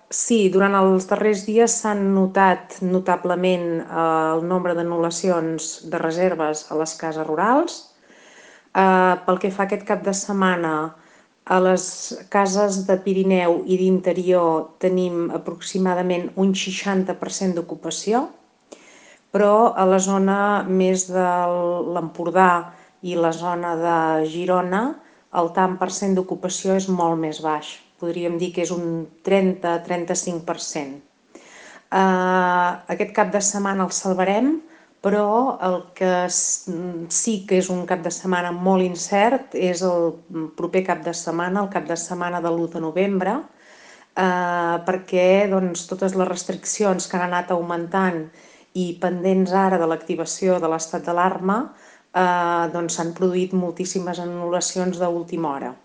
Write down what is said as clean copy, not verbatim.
Sí, durant els darrers dies s'han notat notablement el nombre d'anul·lacions de reserves a les cases rurals. Pel que fa aquest cap de setmana, a les cases de Pirineu i d'interior tenim aproximadament un 60% d'ocupació, però a la zona més de l'Empordà i la zona de Girona el tant per cent d'ocupació és molt més baix. Podríem dir que és un 30-35%. Aquest cap de setmana el salvarem, però el que sí que és un cap de setmana molt incert és el proper cap de setmana, el cap de setmana de l'1 de novembre, perquè doncs, totes les restriccions que han anat augmentant i pendents ara de l'activació de l'estat d'alarma, doncs s'han produït moltíssimes anul·lacions d'última hora.